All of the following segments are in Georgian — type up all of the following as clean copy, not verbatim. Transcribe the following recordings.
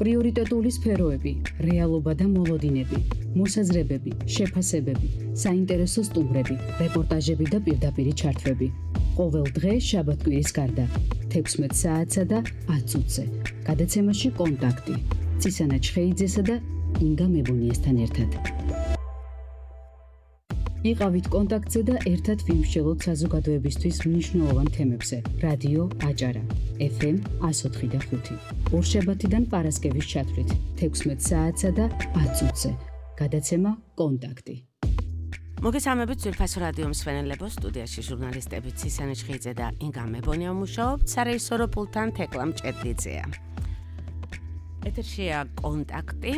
პრიორიტეტული სფეროები, რეალობა და მოლოდინები, მოსაზრებები, შეფასებები, საინტერესო სტუმრები, რეპორტაჟები და პირდაპირი ჩართვები. ყოველ დღე შაბათ-კვირის გარდა 16 საათსა და 10 წუთზე. გადაცემაში კონტაქტი. ცისანა ჩხეიძესა და ინგა მებუნიესთან ერთად. იყავით კონტაქტზე და ერთად ვიმსჯელოთ საზოგადოებისთვის მნიშვნელოვან თემებზე. რადიო აჭარა, FM 104.5. ორშაბათიდან პარასკევის ჩათვლით 16 საათსა და 10 წუთზე. გადაცემა კონტაქტი. მოგესალმებით ძვირფასო რადიო მსმენელებო, სტუდიაში ჟურნალისტები ცისანა ჩხეიძე და ინგა მებონია მუშაობთ, სარეჟისორო პულტთან თეკლა მჭედლიძეა. ეთერშია კონტაქტი.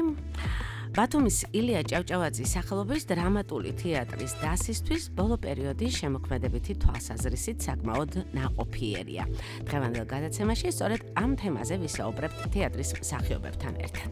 ბათუმის ილია ჭავჭავაძის სახელობის დრამატული თეატრის დასისთვის ბოლო პერიოდის შემოქმედებითი თვალსაზრისით საკმაოდ ნაყოფიერია. დღევანდელ გადაცემაში სწორედ ამ თემაზე ვისაუბრებთ თეატრის მსახიობებთან ერთად.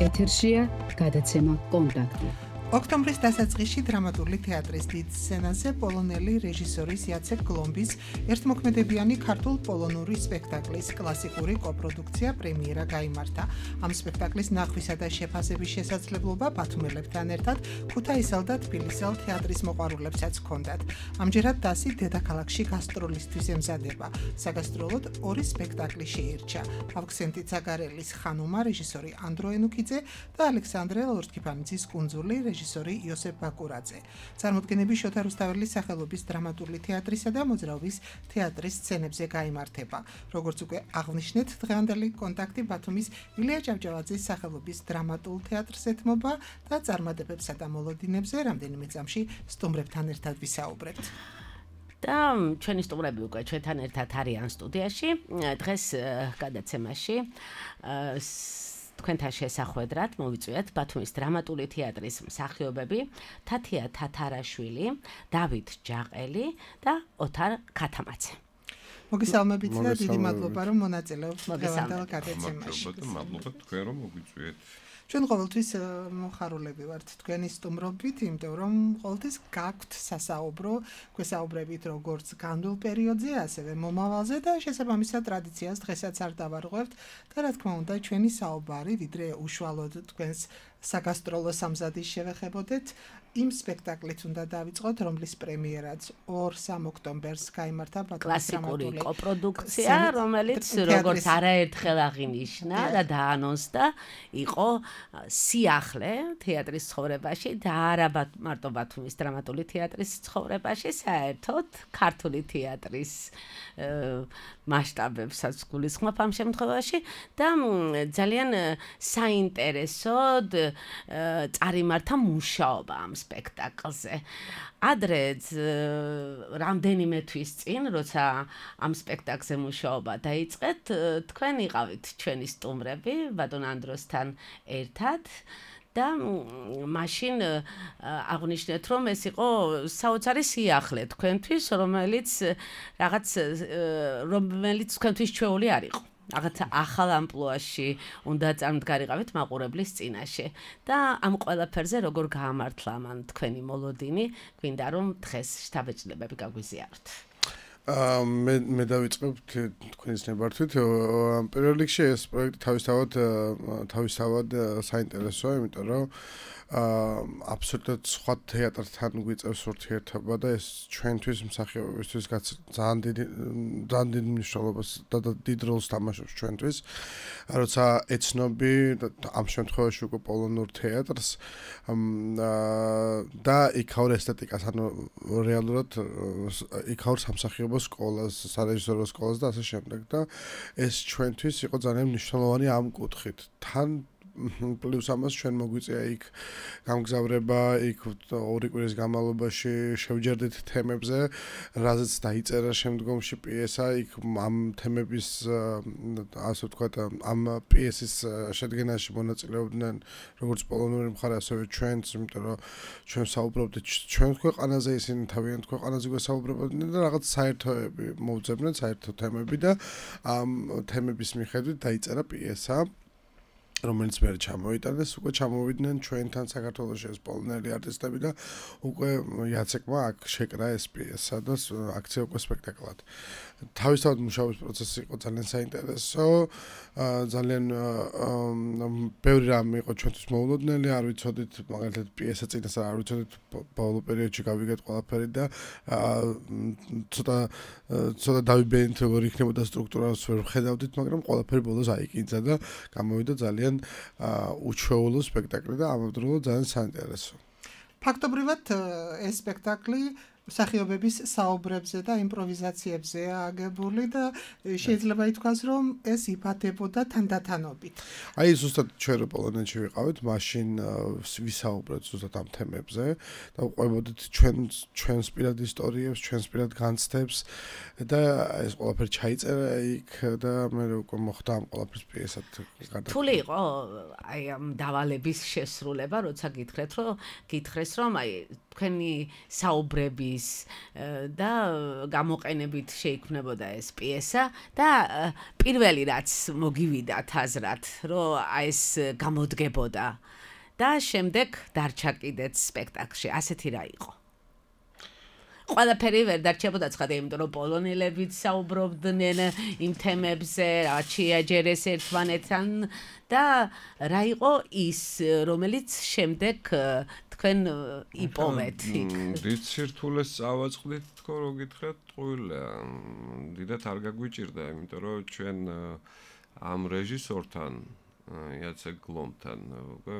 ეთერშია გადაცემა კონტაქტი. ოქტომბრის დასაწყისში დრამატული თეატრის დიდ სცენაზე პოლონელი რეჟისორის იაცეკ გლომბის ერთმოქმედებიანი ქართულ პოლონური სპექტაკლის კლასიკური კოპროდუქცია პრემიერა გაიმართა. ამ სპექტაკლის ნახვისა და შეფასების შესაძლებლობა ბათუმელებთან ერთად ქუთაისელ და თბილისელ თეატრის მოყვარულებსაც ჰქონდათ. ამჯერად დასი დედაქალაქში გასტროლისთვის ემზადება. საგასტროლოდ ორი სპექტაკლი შეირჩა. ავქსენტი ცაგარელის ხანუმა რეჟისორი ანდრო ენუქიძე და ალექსანდრე ლორთქიფანიძის კუნძული რეჟისორი იოსებ ბაკურაძე. წარმოდგენები შოთა რუსთაველის სახელობის დრამატული თეატრისა და მოძრაობის თეატრის სცენებზე გაიმართება. როგორც უკვე აღნიშნეთ, დღევანდელი კონტაქტი ბათუმის ილია ჭავჭავაძის სახელობის დრამატულ თეატრს ეთმობა და წარმატებებსა და მოლოდინებზე რამდენიმე წამში სტუმრებთან ერთად ვისაუბრებთ. და ჩვენი სტუმრები უკვე ჩვენთან ერთად არიან სტუდიაში. დღეს გადაცემაში თქვენთან შესახვედრად მოვიწვიეთ ბათუმის დრამატული თეატრის მსახიობები თათია თათარაშვილი, დავით ჯაყელი და ოთარ ქათამაძე. მოგესალმებით და დიდი მადლობა რომ მონაწილეობთ დღევანდელ გადაცემაში. მადლობა თქვენ რომ მოგვიწვიეთ. ჩვენ ყოველთვის მოხარულები ვართ თქვენი სტუმრობით, იმიტომ რომ ყოველთვის გაქვთ სასაუბრო, გვესაუბრებით როგორც განვლილ პერიოდზე, ასევე მომავალზე და შესაბამისად ტრადიციას დღესაც არ დავარღვევთ და რა თქმა უნდა ჩვენი საუბარი ვიდრე უშუალოდ თქვენს საგასტროლო სამზადის შევეხებოდეთ, იმ სპექტაკლით უნდა დავიწყოთ, რომლის პრემიერაც 2-3 ოქტომბერს გაიმართა ბათუმის კლასიკური კოპროდუქცია, რომელიც როგორც არაერთხელ აღინიშნა და დაანონსდა, იყო სიახლე თეატრის ცხოვრებაში და არა მარტო ბათუმის დრამატული თეატრის ცხოვრებაში, საერთოდ ქართული თეატრის მასშტაბებსაც გულისხმობ ამ შემთხვევაში და ძალიან საინტერესოდ წარიმართა მუშაობა ამ სპექტაკლზე. ადრე რამდენიმე თვის წინ, როცა ამ სპექტაკლზე მუშაობა დაიწყეთ, თქვენ იყავით ჩვენი სტუმრები ბატონ ანდროსთან ერთად. და მაშინ აღნიშნეთ, რომ ეს იყო საოცარი სიახლე თქვენთვის, რომელიც თქვენთვის ჩვეული არ იყო. რაღაც ახალ ამპლუაში უნდა წარმდგარიყავით მაყურებლის წინაშე და ამ ყველაფერზე როგორ გაამართლა მან თქვენი მოლოდინი, გვინდა რომ დღეს შთაბეჭდილებები გაგვიზიაროთ. მე დავიწყებ თქვენის ნებართვით. პირველ რიგში ეს პროექტი თავისთავად საინტერესოა, იმიტომ რომ აბსოლუტურად სხვა თეატრთან გვიწევს ურთიერთობა და ეს ჩვენთვის მსახიობებისთვის ძალიან დიდ მნიშვნელობას და დიდ როლს თამაშობს ჩვენთვის. როცა ეცნობი ამ შემთხვევაში უკვე პოლონურ თეატრს და იქაურ ესთეტიკას, ანუ რეალურად იქაურ სამსახიობო სკოლას, სარეჟისორო სკოლას და ასე შემდეგ და ეს ჩვენთვის იყო ძალიან მნიშვნელოვანი ამ კუთხით. თან პლუს ამას ჩვენ მოგვიწია იქ გამგზავრება, იქ 2 კვირის განმავლობაში შევჯერდით თემებზე, რაზეც დაიწერა შემდგომში პიესა, იქ ამ თემების ასე ვთქვათ, ამ პიესის შედგენაში მონაწილეობდნენ როგორც პოლონური მხარე, ასევე ჩვენც, იმიტომ რომ ჩვენ საუბრობდით ჩვენ ქვეყანაზე, ისინი თავიანთ ქვეყანაზე გვესაუბრებოდნენ და რაღაც საერთოები მოვძებდნენ, საერთო თემები და ამ თემების მიხედვით დაიწერა პიესა. რომელიც მე ჩამოიტანეს, უკვე ჩამოვიდნენ ჩვენთან საქართველოში ეს პოლონელი არტისტები და უკვე იაცეკმა აქ შეკრა ეს პიესა და აქცია უკვე სპექტაკლად. თავისთავად მუშაობის პროცესი იყო ძალიან საინტერესო, ძალიან ბევრი რამ იყო ჩვენთვის მოულოდნელი, არ ვიცოდით მაგალითად პიესა წინასწარ არ ვიცოდით ბოლო პერიოდში გავიგეთ ყველაფერი და ცოტა დავიბენით როგორ იქნებოდა სტრუქტურას ვერ ვხედავდით, მაგრამ ყველაფერი ბოლოს აიკინძა და გამოვიდა ძალიან უჩვეულო სპექტაკლი და ამავდროულად ძალიან საინტერესო. ფაქტობრივად ეს სპექტაკლი მსახიობების საუბრებზე და იმპროვიზაციებზეა აგებული და შეიძლება ითქვას, რომ ეს იფათებოდა თანდათანობით. აი ზუსტად ჩვენ რო პოლონეთში ვიყავით, მაშინ ვისაუბრეთ ზუსტად ამ თემებზე და ვყვებოდით ჩვენს პირად ისტორიებს, ჩვენს პირად განცდებს და ეს ყველაფერი ჩაიწერა იქ და მე უკვე მოხდა ამ ყველაფრის პიესად გადაგება. რთული იყო აი ამ დავალების შესრულება, როცა გითხრეს რომ აი თქვენი საუბრების და გამოყენებით შეიქმნებოდა ეს პიესა და პირველი რაც მოგივიდათ აზრად, რომ აი ეს გამოდგებოდა და შემდეგ დარჩა კიდეც სპექტაკლში. ასეთი რა იყო? ყველაფერი ვერ დარჩებოდა ცხადია, იმიტომ რომ პოლონელებიც საუბრობდნენ იმ თემებზე, რაც შეაჯერეს ერთმანეთთან და რა იყო ის, რომელიც შემდეგ თქვენ იპოვეთ იქ? დიდ სირთულეს წავაწყდით თქო, რო გითხრათ, ტყუილია. დიდად არ გაგვიჭირდა, იმიტომ რომ ჩვენ ამ რეჟისორთან, იაცეკ გლომთან უკვე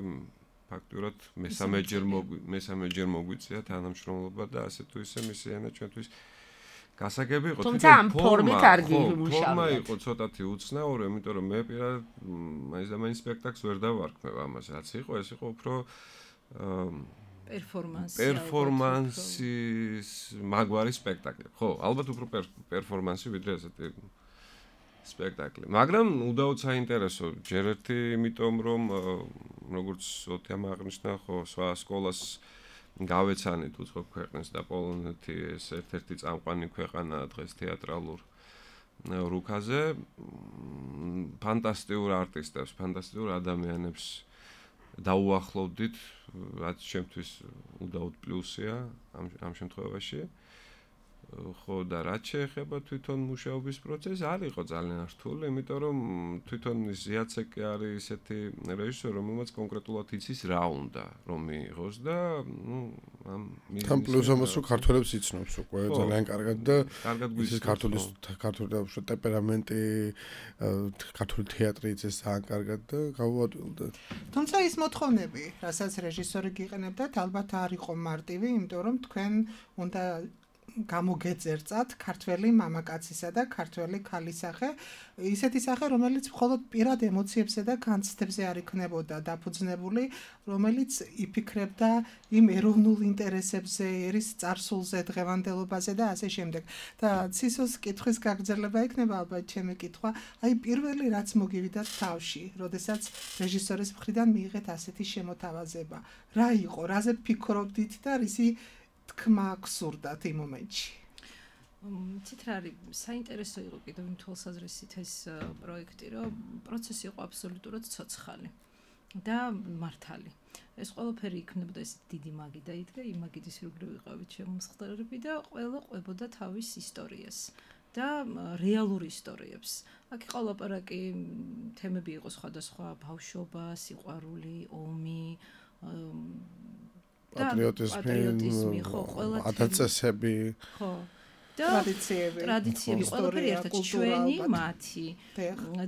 ფაქტურად მესამე ჯერ მოგვიწია თანამშრომლობა და ასე თუ ისე მისი ენა ჩვენთვის გასაგები იყო. თუმცა ამ ფორმით არ გიმუშავებთ. ფორმა იყო ცოტათი უცნაური, იმიტომ რომ მე პირადად მაინც სპექტაკლს ვერ დავარქმევ ამას, რაც იყო, ეს იყო უფრო პერფორმანსის მაგვარი სპექტაკლი. ხო, ალბათ უფრო პერფორმანსი ვიდრე ესეთი სპექტაკლი. მაგრამ უდაოდ საინტერესო, ჯერ ერთი იმიტომ რომ როგორც ოტიამ აღნიშნა, ხო, სხვა სკოლას გავეცანით უცხო ქვეყნებს და პოლონეთი ეს ერთ-ერთი წამყვანი ქვეყანაა დღეს თეატრალურ რუკაზე. ფანტასტიკურ არტისტებს, ფანტასტიკურ ადამიანებს დაუახლოვდით, რაც ჩემთვის უდაოდ პლუსია ამ შემთხვევაში. ხო და რაც შეეხება თვითონ მუშაობის პროცესს, არ იყო ძალიან რთული, იმიტომ რომ თვითონ იაცეკი არის ესეთი რეჟისორი, რომელმაც კონკრეტულად იცის რა უნდა რომ მიიღოს და ამ თან პლუს ამას რომ ქართველებს იცნობს უკვე ძალიან კარგად და ის ქართული ტემპერამენტი, ქართული თეატრი იცის ძალიან კარგად და გავუადვილდა. თუმცა ის მოთხოვნები, რასაც რეჟისორი გიყენებდათ, ალბათ არ იყო მარტივი, იმიტომ რომ თქვენ უნდა გამოგეწერწათ ქართველი მამაკაცისა და ქართველი ქალისახე, ისეთი სახე, რომელიც მხოლოდ პირად ემოციებზე და განცდებზე არ იქნებოდა დაფუძნებული, რომელიც იფიქრებდა იმ ეროვნულ ინტერესებზე, ერის წარსულზე, დღევანდელობაზე და ასე შემდეგ. და ცისოს კითხვის გაგრძელება იქნება ალბათ ჩემი კითხვა, აი პირველი რაც მოგივიდათ თავში, როდესაც რეჟისორის მხრიდან მიიღეთ ასეთი შემოთავაზება. რა იყო, რაზე ფიქრობდით და რისი თქმა გსურდათ იმ მომენტში? ცით რა არის საინტერესო იყო კიდევ იმ თვალსაზრისით ეს პროექტი, რომ პროცესი იყო აბსოლუტურად ცოცხალი და მართალი. ეს ყველაფერი იქნებოდა ეს დიდი მაგიდა იდგა, იმ მაგიდის ირგვლივ ვიყავით შემომსხდარები და ყველა ყვებოდა თავის ისტორიას და რეალურ ისტორიებს. აქ იყო ლაპარაკი, თემები იყო სხვადასხვა, ბავშვობა, სიყვარული, ომი, პატრიოტიზმი, ხო, ყველა ადაწესები, ხო, ტრადიციები, ყველაფერი ერთად ჩვენი, მათი.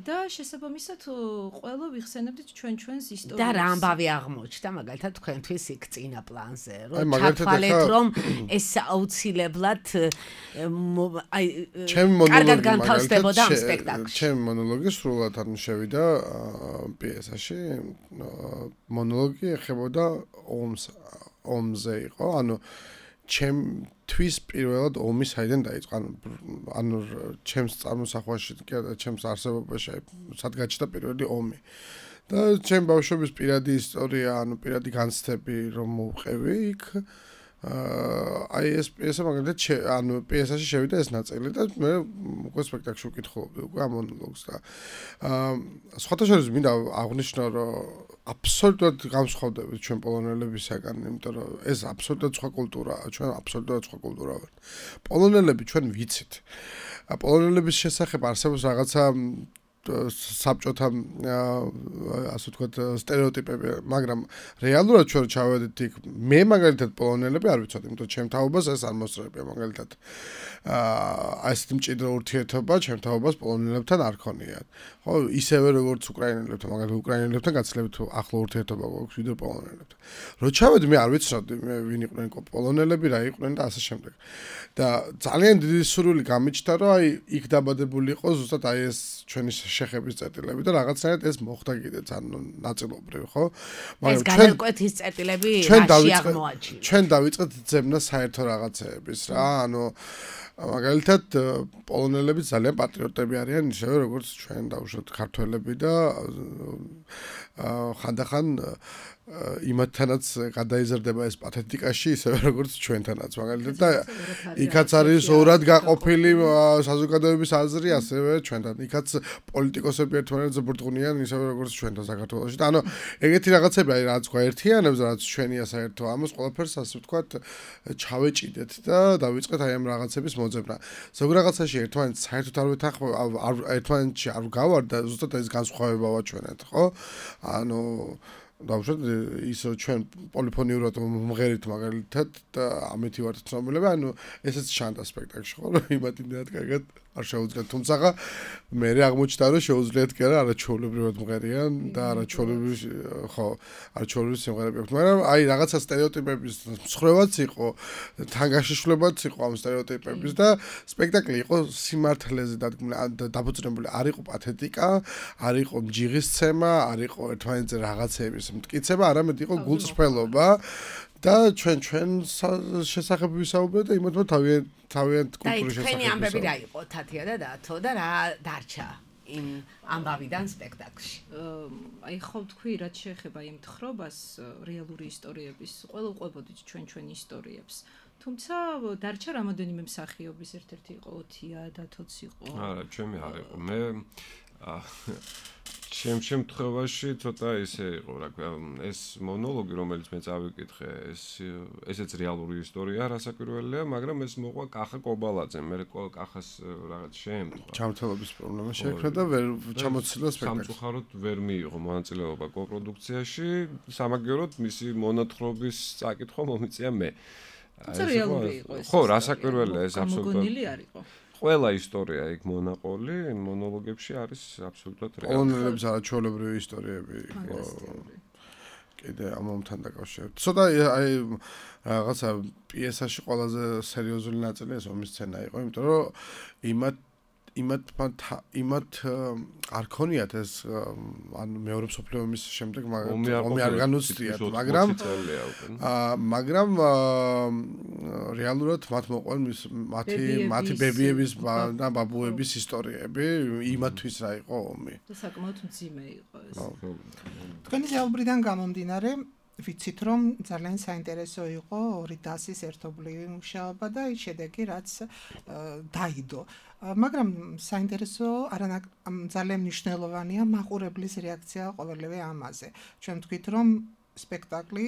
და შესაბამისად ყველა ვიხსენებდით ჩვენს ისტორიას. და რა ამბავი აღმოჩნდა მაგალითად თქვენთვის იქ წინა პლანზე, რომ ჩათვალეთ, რომ ეს აუცილებლად აი კარგად განთავსდებოდა ამ სპექტაკლში. ჩემი მონოლოგი სრულად არ შევიდა პიესაში. მონოლოგი ეხებოდა ომზე იყო, ანუ ჩემთვის პირველად ომი საიდან დაიწყო, ანუ ჩემს წარმოსახვაში, ჩემს არსებობაში სად გაჩნდა პირველი ომი. და ჩემ ბავშვობის პირადი ისტორია, ანუ პირადი განცდები რომ მოვყევი იქ, აი ეს პიესა მაგალითად ანუ პიესაში შევიდა ეს ნაწილი და მე უკვე სპექტაკლში ვკითხულობდი უკვე ამ მონოლოგს და სხვათა შორის მინდა აღვნიშნო რომ აბსოლუტურად განსხვავდებით ჩვენ პოლონელებისაგან, იმიტომ რომ ეს აბსოლუტურად სხვა კულტურაა, ჩვენ აბსოლუტურად სხვა კულტურა ვართ. პოლონელები ჩვენ ვიცით. პოლონელების შესახებ არსებობს რაღაცა საბჭოთა ასე ვთქვათ სტერეოტიპები, მაგრამ რეალურად ჩვენ ჩავედით იქ მე მაგალითად პოლონელები არ ვიცოდი, იმიტომ რომ ჩემ თაობას ეს არ მოსწრებია მაგალითად ასეთი მჭიდრო ურთიერთობა ჩემ თაობას პოლონელებთან არ ქონიათ. ხო, ისევე როგორც უკრაინელებთან, მაგალითად უკრაინელებთან გაცილებით ახლო ურთიერთობა გვაქვს ვიდრე პოლონელებთან. რო ჩავედი მე არ ვიცოდი მე ვინ იყვნენ პოლონელები, რა იყვნენ და ასე შემდეგ. და ძალიან დიდი სურვილი გამიჩნდა, რომ აი იქ დაბადებული იყო ზუსტად აი ეს ჩვენი შეხების წერტილები და რაღაცნაირად ეს მოხდა კიდეც ანუ ნაწილობრივ, ხო? ეს განკვეთის წერტილები რაში აღმოაჩინა? ჩვენ დავიწყეთ ძებნა საერთო რაღაცეების რა, ანუ მაგალითად პოლონელები ძალიან პატრიოტები არიან, ისევე როგორც ჩვენ დავუშვათ ქართველები და ხანდახან იმათთანაც გადაიზრდება ეს პათეტიკაში, ისევე როგორც ჩვენთანაც მაგალითად და იქაც არის ორად გაყოფილი საზოგადოების აზრი, ასევე ჩვენთან. იქაც პოლიტიკოსები ერთმანეთს ბრწყუნიან, ისევე როგორც ჩვენთან საქართველოში. და ანუ ეგეთი რაღაცები არის, რაც გვაერთიანებს, რაც ჩვენია საერთო ამას ყველაფერს ასე ვთქვათ, ჩავეჭიდეთ და დავიწყეთ აი ამ რაღაცების მოძებნა. ზოგ რაღაცაში ერთმანეთს საერთოდ არ ვეთანხმებ, ერთმანეთში არ გავარ და ზუსტად ეს განსხვავებაა ჩვენეთ, ხო? ანუ დავუშვათ ისო ჩვენ პოლიფონიურად მღერით მაგალითად და ამეთი ვართ ცნობილები, ანუ ესეც ჩანდა სპექტაკლში, ხო, რომ იმათ იმდენად კარგად არ შეუძლიათ, თუმცა მე აღმოჩნდა, რომ შეუძლიათ კი არა, არაჩვეულებრივად მღერიან და არაჩვეულებრივ ხო, არაჩვეულებრივ სიმღერები აქვს, მაგრამ აი რაღაცა სტერეოტიპების მსხრევაც იყო, თანგაშიშვლებაც იყო ამ სტერეოტიპების და სპექტაკლი იყო სიმართლეზე დაფუძნებული, არ იყო პათეტიკა, არ იყო მჯიღისცემა, არ იყო ერთმანეთზე რაღაცების მტკიცება, არამედ იყო გულწრფელობა და ჩვენ შესახებ ვისაუბრეთ და იმათმა თავიანთ კულტურის შესახებ. თქვენი ამბები რა იყო თათია და დათო და რა დარჩა იმ ამბავიდან სპექტაკლში? აი ხო თქვი, რაც შეეხება იმ თხრობას რეალური ისტორიების, ყველა უყვებოდით ჩვენ ისტორიებს. თუმცა დარჩა რამოდენიმე მსახიობის, ერთ-ერთი იყო ოთია, დათოც იყო. არა, ჩემი არ იყო. მე ჩემ შემთხვევაში ცოტა ისე იყო, რა ქვია, ეს მონოლოგი, რომელიც მე წავიკითხე, ესეც რეალური ისტორია რასაკვირველია, მაგრამ ეს მოყვა კახა კობალაძემ, მე კახას რაღაც შემთხვევა. ჩამთელობის პრობლემა შეექმნა და ვერ ჩამოცილდა სპექტაკლი. სამწუხაროდ ვერ მიიღო მონაწილეობა კოპროდუქციაში, სამაგიეროდ მისი მონათხრობის წაკითხვა მომიწია მე. თუმცა რეალური იყო ეს. ხო, რასაკვირველია ეს აბსოლუტურად. მოგონილი არ იყო. ყველა ისტორია იქ მონაყოლი მონოლოგებში არის აბსოლუტურად რეალური. პოლონელების არაჩვეულებრივი ისტორიები იყო. კიდე ამომთან დაკავშირებით. ცოტა აი რაღაცა პიესაში ყველაზე სერიოზული ნაწილი ეს ომის სცენა იყო, იმიტომ რომ იმათ არ ქონიათ ეს ანუ მეორე მსოფლიო ომის შემდეგ ომი არ განუცდიათ, მაგრამ რეალურად მათ მოყვან მათი ბებიების და ბაბუების ისტორიები იმათთვის რა იყო ომი. და საკმაოდ მძიმე იყო ეს. თქვენი ზეუბრიდან გამომდინარე ვიცით რომ ძალიან საინტერესო იყო ორი დასის ერთობლივი მუშაობა და ის შედეგი რაც დაიდო. მაგრამ საინტერესო ძალიან მნიშვნელოვანია მაყურებლის რეაქცია ყოველივე ამაზე. ჩვენ ვთქვით რომ სპექტაკლი,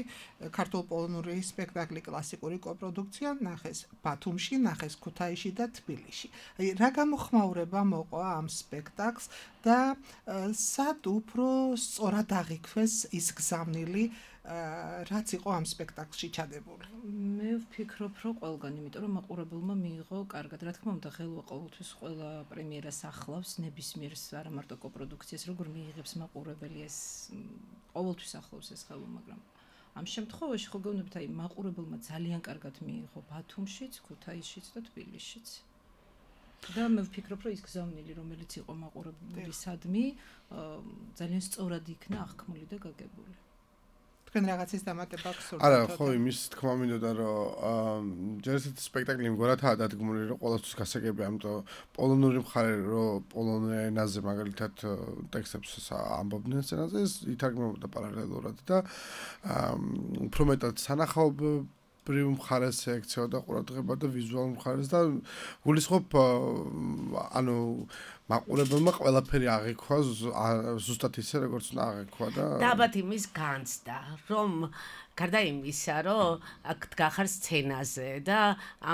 ქართულ-პოლონური სპექტაკლი კლასიკური კოპროდუქცია ნახეს ბათუმში, ნახეს ქუთაისში და თბილისში. აი რა გამოხმაურება მოყვა ამ სპექტაკლს და სად უფრო სწორად აღიქვეს ის გზავნილი რაც იყო ამ სპექტაკლში ჩადებული. მე ვფიქრობ, რომ ყველგან, იმიტომ რომ მაყურებელმა მიიღო კარგად. რა თქმა უნდა, ხელვა ყოველთვის ყველა პრემიერას ახლავს, ნებისმიერს არა მარტო კოპროდუქციას, როგორ მიიღებს მაყურებელი ეს ყოველთვის ახლავს ეს ხელვა, მაგრამ ამ შემთხვევაში ხო გეუბნებით, აი მაყურებელმა ძალიან კარგად მიიღო ბათუმშიც, ქუთაისშიც და თბილისშიც. და მე ვფიქრობ, რომ ის გზავნილი, რომელიც იყო მაყურებლისადმი, ძალიან სწორად იქნა აღქმული და გაგებული. თქვენ რაღაცის დამატება გსურთ? არა, ხო, იმის თქმა მინდოდა, რომ ჯერ ესეთი სპექტაკლი მგონათაა დადგმული, რომ ყოველთვის გასაგებია, ამიტომ პოლონური მხარე, რომ პოლონურ ენაზე მაგალითად ტექსტებს ამბობდნენ სცენაზე, ეს ითარგმნებოდა პარალელურად და უფრო მეტად სანახაობ სცენებრივ მხარეს ექცეოდა ყურადღება და ვიზუალურ მხარეს და გულისხმობ ანუ მაყურებელმა ყველაფერი აღიქვა ზუსტად ისე როგორც უნდა აღიქვა და ალბათ იმის განცდა რომ გარდა იმისა რომ აქ დგახარ სცენაზე და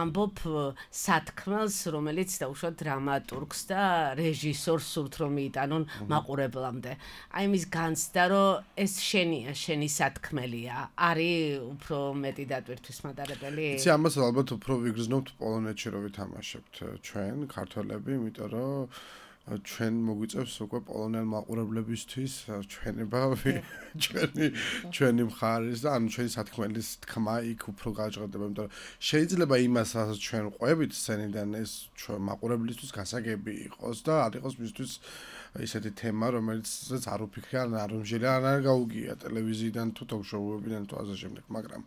ამბობ სათქმელს რომელიც დაუშვათ დრამატურგს და რეჟისორს სურთ რომ მიიტანონ მაყურებლამდე აი იმის განცდა რომ ეს შენია შენი სათქმელია არის უფრო მეტი დატვირთვის მატარებელი იცი ამას ალბათ უფრო ვიგრძნობთ პოლონეთში რომ ვითამაშებთ ჩვენ ქართველები იმიტომ რომ ჩვენ მოგვიწევს უკვე პოლონელ მაყურებლებისთვის ჩვენება ჩვენი მხარის და ანუ ჩვენი სათქმელის თქმა იქ უფრო გაჟღერდება იმიტომ რომ შეიძლება იმას ჩვენ ყვებით სცენიდან ეს ჩვენ მაყურებლისთვის გასაგები იყოს და არ იყოს მისთვის ისეთი თემა რომელიც არ უფიქრიან არ უმჟელია არ გაუგია ტელევიზიიდან თუ თოქ-შოუებიდან თუ ასე შემდეგ მაგრამ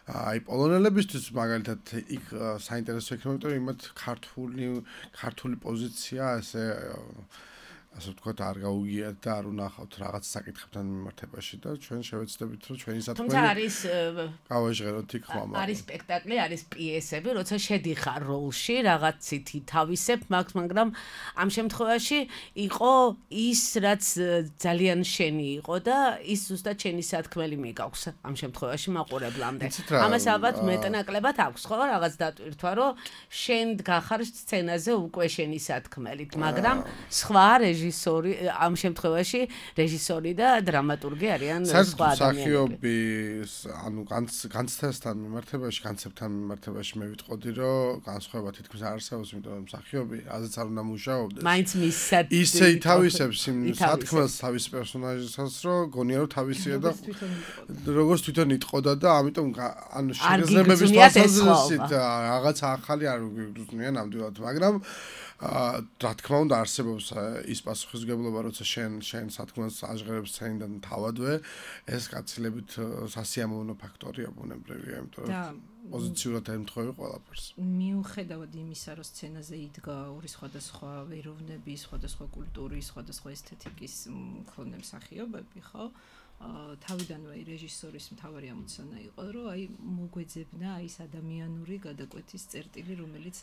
აი პოლონელებისთვის მაგალითად იქ საინტერესო იქნება იმიტომ რომ იმათ ქართული პოზიცია ასე ვთქვათ არ გაუგიათ და არ უნახავთ რაღაც საკითხებთან მიმართებაში და ჩვენ შევეცდებით რომ ჩვენი სათქმელი გავაჟღეროთ იქ ხმამა არის სპექტაკლი არის პიესები როცა შედიხარ როლში რაღაცითი თავისებ მაგრამ ამ შემთხვევაში იყო ის რაც ძალიან შენი იყო და ის ზუსტად შენი სათქმელი მიგაქვს ამ შემთხვევაში მაყურებლამდე ამას ალბათ მეტნაკლებად აქვს ხო რაღაც დატვირთვა რომ შენ დგახარ სცენაზე უკვე შენი სათქმელით მაგრამ სხვა რეჟისორი ამ შემთხვევაში რეჟისორი და დრამატურგი არიან სხვა ადამიანები. ანუ განცდასთან მიმართებაში, კონცეფტთან მიმართებაში მე ვიტყოდი, რომ განსხვავება თითქმის არ არსებობს, იმიტომ რომ მსახიობი აზეც არ უნდა მუშაობდეს. მაინც მისად ისე ითავისებს იმ სათქმელს თავის პერსონაჟისას, რომ გონია რომ თავისია და როგორც თვითონ იტყოდა და ამიტომ ანუ შეგრძნებების თვალსაზრისით რაღაც ახალი არ გვიგრძნიან ნამდვილად, მაგრამ რა თქმა უნდა არსებობს ის პასუხისმგებლობა როცა შენ სათქმელს აჟღერებს სცენიდან თავადვე ეს გაცილებით სასიამოვნო ფაქტორია ბუნებრივია იმიტომ რომ პოზიციურად ემთხვევა ყველაფერს მიუხედავად იმისა რომ სცენაზე იდგა ორი სხვადასხვა ეროვნების სხვადასხვა კულტურის სხვადასხვა ესთეტიკის მქონე მსახიობები ხო თავიდანვე რეჟისორის მთავარი ამოცანა იყო რომ აი მოგვეძებნა აი ეს ადამიანური გადაკვეთის წერტილი რომელიც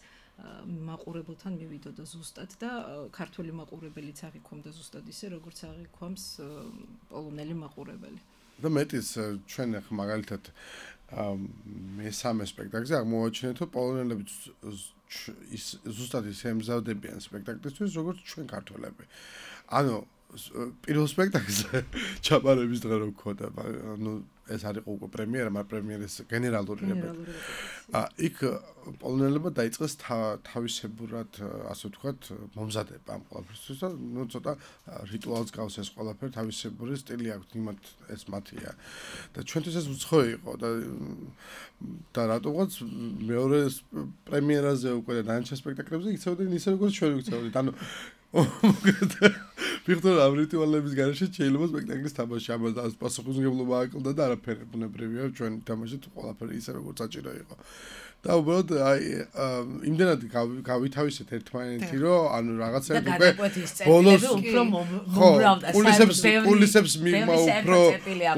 მაყურებელთან მივიდოდა ზუსტად და ქართული მაყურებელიც აღიქვამდა ზუსტად ისე როგორც აღიქვამს პოლონელი მაყურებელი და მეტიც ჩვენ ახლა მაგალითად მესამე სპექტაკლზე აღმოვაჩინეთ რომ პოლონელები ზუსტად ისე ემზადებიან სპექტაკლისთვის როგორც ჩვენ ქართველები ანუ პირველ სპექტაკლზე ჩაბარების დღე რო გქონდა ანუ ეს არის უკვე პრემიერა, მაგრამ პრემიერის გენერალური რეპეტიცია. იქ პოლონელებმა დაიწყეს თავისებურად, ასე ვთქვათ, მომზადება ამ ყველაფერთვის და ნუ ცოტა რიტუალს გავს ეს ყველაფერი, თავისებური სტილი აქვს, იმათ ეს მათია. და ჩვენთვის ეს უცხოე იყო და რატომღაც მეორე პრემიერაზე უკვე და დანარჩენ სპექტაკლებზე იქცეოდნენ ისე როგორც ჩვენ ვიქცეოდით. ანუ ვიხდორ ამ რიტუალების გარეშე შეიძლება სპექტაკლის თამაში ამას პასუხისმგებლობა აკლდა და არაფერი ბუნებრივია ჩვენ თამაშით ყველაფერი ისე როგორც საჭირო იყო და უბრალოდ აი იმდენად გავითავისეთ ერთმანეთი რომ ანუ რაღაცები უკვე ბოლოს კულისებს მიღმა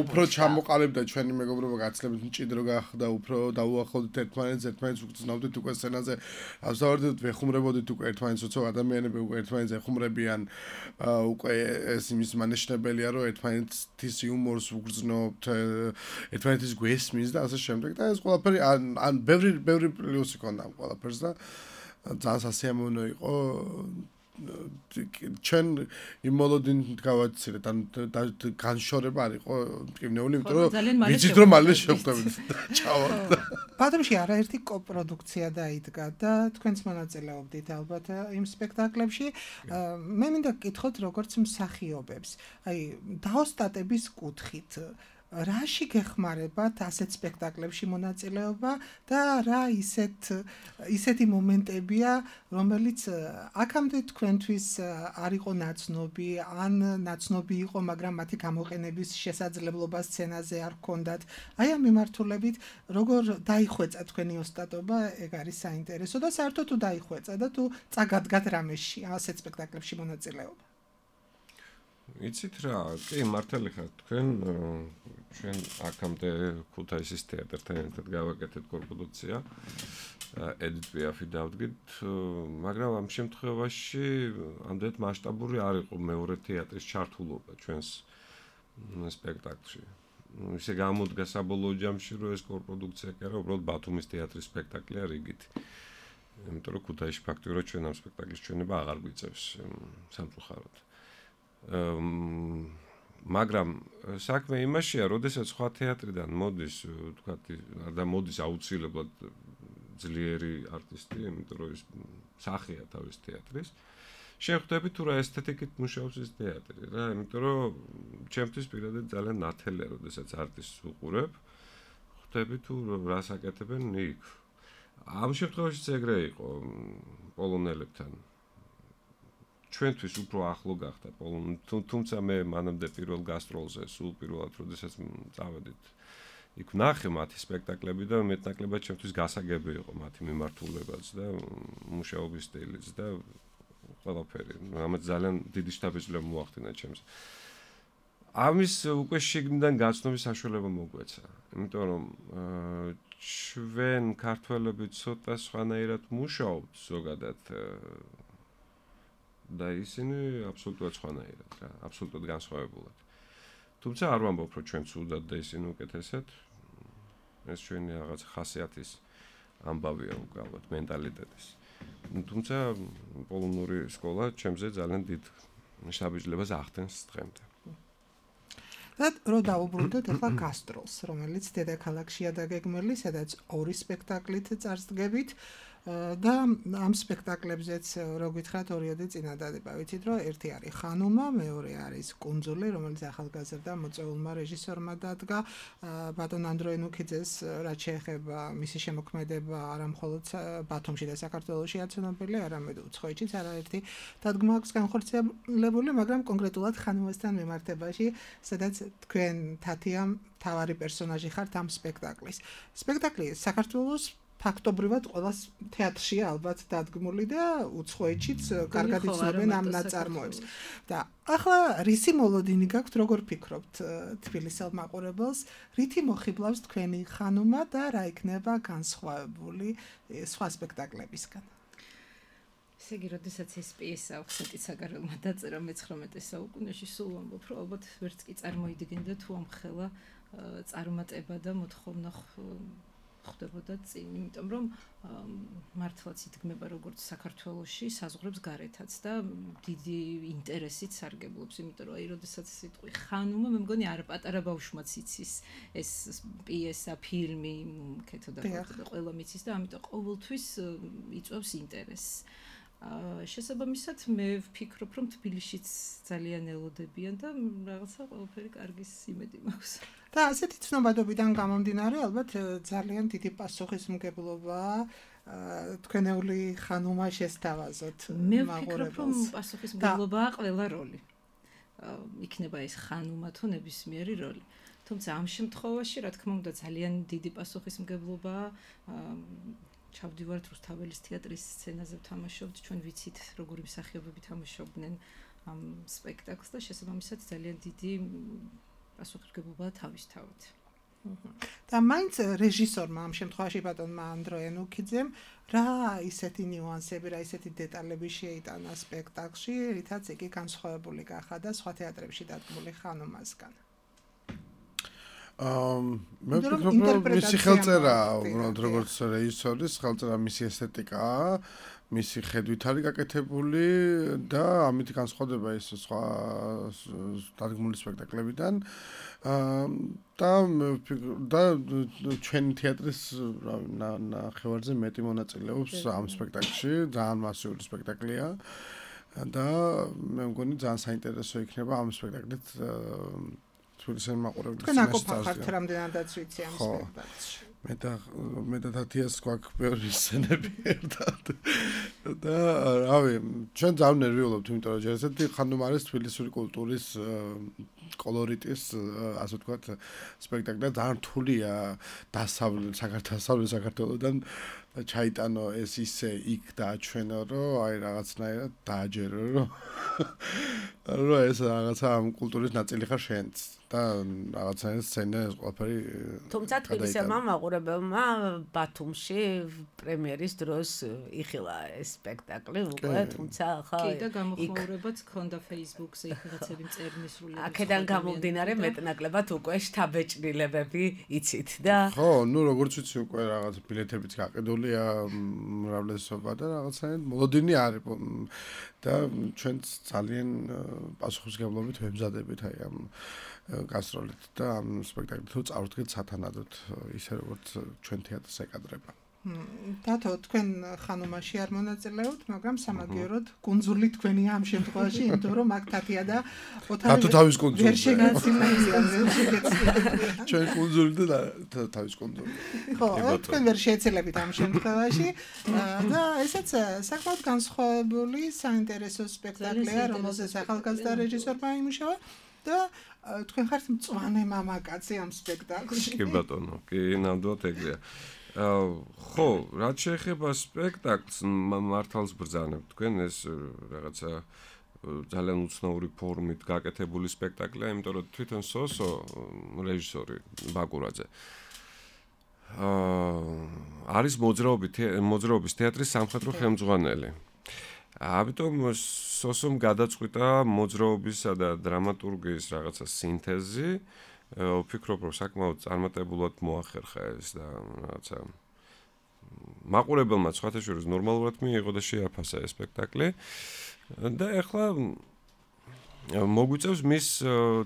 უფრო ჩამოყალიბდა ჩვენი მეგობრობა გაცილებით მჭიდრო გახდა უფრო დაუახლოვდით ერთმანეთს უგრძნობდით უკვე სცენაზე ავსავარდით ვეხუმრებოდით უკვე ერთმანეთს როცა ადამიანები უკვე ერთმანეთს ეხუმრებიან უკვე ეს იმის მანიშნებელია რომ ერთმანეთის იუმორს უგრძნობთ ერთმანეთის გვესმის და ასე შემდეგ და ეს ყველაფერი ან ბევრი პლუსი ქონდა ამ ყველაფერს და ძალიან სასიამოვნო იყო ჩვენ იმ მოლოდინით გავაცილეთ ან განშორება არ იყო მტკივნეული იმიტომ რომ ვიცით რომ მალე შევხვდებით ჩავარდა ბათუმში არაერთი კოპროდუქცია დაიდგა და თქვენც მონაწილეობდით ალბათ იმ სპექტაკლებში მე მინდა გკითხოთ როგორც მსახიობებს აი დაოსტატების კუთხით რაში გეხმარებათ ასეთ სპექტაკლებში მონაწილეობა და რა ისეთი მომენტებია რომელიც აქამდე თქვენთვის არ იყო ნაცნობი ან ნაცნობი იყო მაგრამ მათი გამოყენების შესაძლებლობა სცენაზე არ ჰქონდათ აი ამ მიმართულებით როგორ დაიხვეწა თქვენი ოსტატობა ეგ არის საინტერესო და საერთოდ თუ დაიხვეწა და თუ წაგადგათ რამეში ასეთ სპექტაკლებში მონაწილეობა იცით რა, კი მართალი ხართ თქვენ ჩვენ აქამდე ქუთაისის თეატრთან ერთად გავაკეთეთ კოპროდუქცია Edith Piaf-ი დავდგით, მაგრამ ამ შემთხვევაში ამდენად მასშტაბური არ იყო მეორე თეატრის ჩართულობა ჩვენს სპექტაკლში. ისე გამოდგა საბოლოო ჯამში, რომ ეს კოპროდუქცია კი არა, უბრალოდ ბათუმის თეატრის სპექტაკლია რიგით. იმიტომ რომ ქუთაისში ფაქტიურად ჩვენ ამ სპექტაკლის ჩვენება აღარ გვიწევს სამწუხაროდ. მაგრამ საქმე იმაშია, როდესაც სხვა თეატრიდან მოდის, თქვათ, და მოდის აუცილებლად ძლიერი არტისტი, იმიტომ რომ ის სახეა თავის თეატრის. შეხვდები თუ რა ესთეტიკით მუშაობს ეს თეატრი, რა, იმიტომ რომ ჩემთვის პირადად ძალიან ნათელია, როდესაც არტისტს უყურებ, ხვდები თუ რას აკეთებენ იქ. ამ შემთხვევაშიც ეგრე იყო პოლონელებთან. ჩვენთვის უფრო ახლო გახდა პოლონი, თუმცა მე მანამდე პირველ გასტროლზე, სულ პირველად, როდესაც წავედით, იქ ვნახე მათი სპექტაკლები და მეტნაკლებად ჩემთვის გასაგები იყო მათი მიმართულებაც და მუშაობის სტილიც და ყველაფერი. ამათ ძალიან დიდი შთაბეჭდილება მოახდინა ჩემს. ამის უკვე შიგნიდან გაცნობის საშუალება მოგვეცა. იმიტომ რომ ჩვენ ქართველები ცოტა სხვანაირად მუშაობთ ზოგადად და ისინი აბსოლუტურად სხვანაირად რა, აბსოლუტურად განსხვავებულად. თუმცა არ ვამბობ, რომ ჩვენ ცუდად და ისინი უკეთესად. ეს ჩვენი რაღაც ხასიათის ამბავია უკვე ალბათ მენტალიტეტის. თუმცა პოლონური სკოლა ჩემზე ძალიან დიდ შთაბეჭდილებას ახდენს დღემდე. და რო დაუბრუნდეთ ახლა გასტროლს, რომელიც დედაქალაქშია დაგეგმილი, სადაც ორი სპექტაკლით წარსდგებით და ამ სპექტაკლებზეც რო გითხრათ ორიოდი წინადადება. ვიცით რომ ერთი არის ხანუმა, მეორე არის კუნძული, რომელიც ახალგაზრდა მოწვეულმა რეჟისორმა დადგა. ბატონ ანდროე ნუქიძეს რაც შეეხება მისი შემოქმედება არა მხოლოდ ბათუმში და საქართველოშია ცნობილი, არამედ უცხოეთშიც არაერთი დადგმა აქვს განხორციელებული, მაგრამ კონკრეტულად ხანუმასთან მიმართებაში, სადაც თქვენ თათიამ თავარი პერსონაჟი ხართ ამ სპექტაკლის. სპექტაკლი საქართველოს ფაქტობრივად ყველა თეატრშია ალბათ დადგმული და უცხოეთშიც კარგად იცნობენ ამ ნაწარმოებს. და ახლა რისი მოლოდინი გაქვთ, როგორ ფიქრობთ თბილისელ მაყურებელს, რითი მოხიბლავს თქვენი ხანუმა და რა იქნება განსხვავებული სხვა სპექტაკლებისგან? ესე იგი, როდესაც ეს პიესა ახსენეთ საგარეულმა დაწერა მე-19 საუკუნეში, სულ ვამბობ, რომ ალბათ ვერც კი წარმოიდგენდა თუ ამ ხელა წარმატება და მოთხოვნა ხდებოდა წინ, იმიტომ რომ მართლაც იდგმება როგორც საქართველოში საზღვრებს გარეთაც და დიდი ინტერესით სარგებლობს, იმიტომ რომ აი როდესაც სიტყვი ხანუმა, მე მგონი არ პატარა ბავშვმაც იცის ეს პიესა, ფილმი, კეთო და ყველა მიცის და ამიტომ ყოველთვის იწვევს ინტერესს. შესაბამისად მე ვფიქრობ, რომ თბილისშიც ძალიან ელოდებიან და რაღაცა ყველაფერი კარგის იმედი მაქვს. და ასეთი ცნობადობიდან გამომდინარე, ალბათ ძალიან დიდი პასუხისმგებლობა თქვენეული ხანუმა შესთავაზოთ მაყურებელს. მე ვფიქრობ, რომ პასუხისმგებლობაა ყველა როლი. იქნება ეს ხანუმა თუ ნებისმიერი როლი. თუმცა ამ შემთხვევაში, რა თქმა უნდა, ძალიან დიდი პასუხისმგებლობაა. ჩავდივართ რუსთაველის თეატრის სცენაზე ვთამაშობთ, ჩვენ ვიცით როგორი მსახიობები თამაშობდნენ ამ სპექტაკლს და შესაბამისად ძალიან დიდი პასუხისმგებლობაა თავისთავად. და მაინც რეჟისორმა ამ შემთხვევაში ბატონმა ანდროე ნუქიძემ რა ისეთი ნიუანსები, რა ისეთი დეტალები შეიტანა სპექტაკლში, რითაც იგი განსხვავებული გახადა სხვა თეატრებში დადგმული ხანუმასგან. მე ვფიქრობ, რომ მისი ხელწერა, უბრალოდ როგორც რეჟისორის ხელწერა მისი ესთეტიკაა, მისი ხედვით არის გაკეთებული და ამით განსხვავდება ის სხვა დადგმული სპექტაკლებიდან. და ჩვენი თეატრის ნახევარზე მეტი მონაწილეობს ამ სპექტაკლში, ძალიან მასიური სპექტაკლია და მე მგონი ძალიან საინტერესო იქნება ამ სპექტაკლით თბილისელი მაყურებლის თქვენ აკოფახართ რამდენადაც ვიცი ამ სპექტაკლში. მე და თათიას გვაქვს ბევრი სცენები ერთად. და რავი, ჩვენ ძალიან ნერვიულობთ, იმიტომ რომ ჯერ ესეთი ხანუმ არის თბილისური კულტურის კოლორიტის, ასე ვთქვათ, სპექტაკლი და ძალიან რთულია საქართველოსდან ჩაიტანო ეს ისე იქ დააჩვენო, რომ აი რაღაცნაირად დააჯერო, რომ რა ეს რაღაცა ამ კულტურის ნაწილი ხარ შენც და რაღაცა სცენა ეს ყველაფერი თუმცა თბილისელმა მაყურებელმა ბათუმში პრემიერის დროს იხილა ეს სპექტაკლი უკვე თუმცა ხა კი და გამოხმაურებაც ქონდა Facebook-ზე იქ რაღაცები წერნის სრულიად აქედან გამომდინარე მეტნაკლებად უკვე შთაბეჭდილებები იცით და ხო ნუ როგორც ვიცი უკვე რაღაც ბილეთებიც გაყიდულია მრავლესობა და რაღაცა მოლოდინი არის და ჩვენც ძალიან პასუხისმგებლობით ვებზადებით აი ამ გასტროლით და ამ სპექტაკლით თუ წავდგეთ სათანადოდ ისე როგორც ჩვენ თეატრს ეკადრება. დათო თქვენ ხანუმაში არ მონაწილეობთ, მაგრამ სამაგიეროდ კუნძული თქვენია ამ შემთხვევაში, იმიტომ რომ აქ თათია და დათო თავის კუნძული. ვერ შეგეცილებიან, ჩვენ კუნძული და თავის კუნძული. ხო, თქვენ ვერ შეეცილებით ამ შემთხვევაში და ესეც საკმაოდ განსხვავებული საინტერესო სპექტაკლია, რომელზეც ახალგაზრდა რეჟისორმა იმუშავა და თქვენ ხართ მწვანე მამაკაცი ამ სპექტაკლში. კი ბატონო, კი ნამდვილად ეგრეა. ხო, რაც შეეხება სპექტაკლს, მართალს ბრძანებთ თქვენ ეს რაღაცა ძალიან უცნაური ფორმით გაკეთებული სპექტაკლია, იმიტომ რომ თვითონ სოსო რეჟისორი ბაკურაძე არის მოძრაობის თეატრის სამხედრო ხელმძღვანელი. ამიტომ სოსომ გადაწყვიტა მოძრაობისა და დრამატურგიის რაღაცა სინთეზი. ვფიქრობ, რომ საკმაოდ წარმატებულად მოახერხა ეს და რაღაცა მაყურებელმა სხვათა შორის ნორმალურად მიიღო და შეაფასა ეს სპექტაკლი. და ეხლა მოგვიწევს მის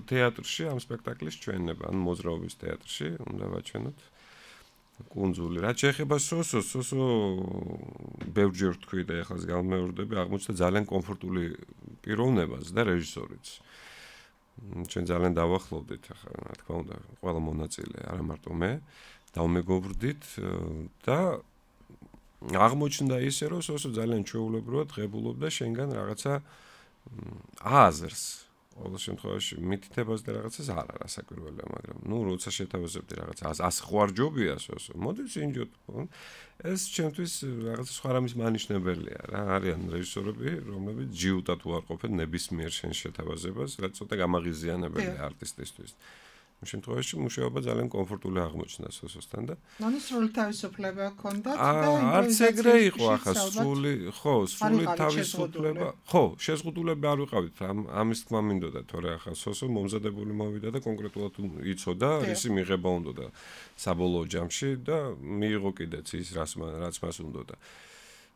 თეატრში ამ სპექტაკლის ჩვენება, ან მოძრაობის თეატრში, უნდა ვაჩვენოთ კუნძული. რაც შეეხება სოსოს, სოსო ბევრჯერ თქვი და ეხლა გამეორდები, აღმოჩნდა ძალიან კომფორტული პიროვნებას და რეჟისორიც. ჩვენ ძალიან დავახლოვდით ახლა, რა თქმა უნდა, ყველა მონაწილე, არა მარტო მე, დავმეგობრდით და აღმოჩნდა ისე, რომ სოსო ძალიან ჩვეულებრივად ღებულობდა შენგან რაღაცა აზრს. ყოველ შემთხვევაში მითითებას და რაღაცას არ არა საკვირველია, მაგრამ ნუ როცა შეთავაზებდი რაღაცა ას ხვარჯობია სოსო, მოდი წინჯოთ. ეს ჩემთვის რაღაცა სხვა რამის მანიშნებელია რა, არიან რეჟისორები, რომლებიც ჯიუტად უარყოფენ ნებისმიერ შენ შეთავაზებას, რაც ცოტა გამაღიზიანებელია არტისტისთვის. იმ შემთხვევაში მუშაობა ძალიან კომფორტული აღმოჩნდა სოსოსთან და ანუ სრული თავისუფლება ჰქონდათ და არც ეგრე იყო ახლა სრული თავისუფლება. ხო, შეზღუდულები არ ვიყავით, ამის თქმა მინდოდა, თორე ახლა სოსო მომზადებული მოვიდა და კონკრეტულად იცოდა, რისი მიღება უნდოდა საბოლოო ჯამში და მიიღო კიდეც ის რაც მას უნდოდა.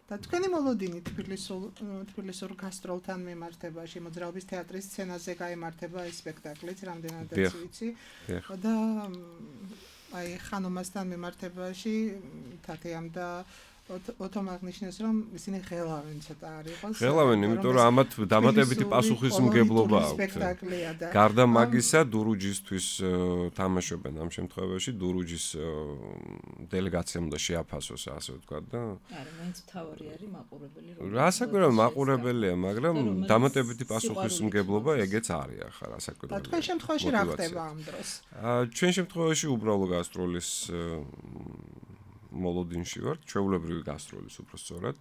და თქვენი მოლოდინი თბილისურ გასტროლთან მიმართებაში მოძრაობის თეატრის სცენაზე გაიმართება ეს სპექტაკლიც, რამდენადაც ვიცი. და აი ხანუმასთან მიმართებაში თათიამ და ოთომ აღნიშნეს, რომ ისინი ღელავენ ცოტა არ იყოს. ღელავენ, იმიტომ რომ ამათ დამატებითი პასუხისმგებლობა აქვთ. გარდა მაგისა, დურუჯისთვის თამაშობენ ამ შემთხვევაში, დურუჯის დელეგაციამ უნდა შეაფასოს, ასე ვთქვათ და არა, მაინც თავი არის მაყურებელი. რასაკვირველია მაყურებელია, მაგრამ დამატებითი პასუხისმგებლობა ეგეც არის ახლა რასაკვირველია. და თქვენ შემთხვევაში რა ხდება ამ დროს? ჩვენ შემთხვევაში უბრალო გასტროლის მოლოდინში ვარ, ჩვეულებრივი გასტროლის უფრო სწორად.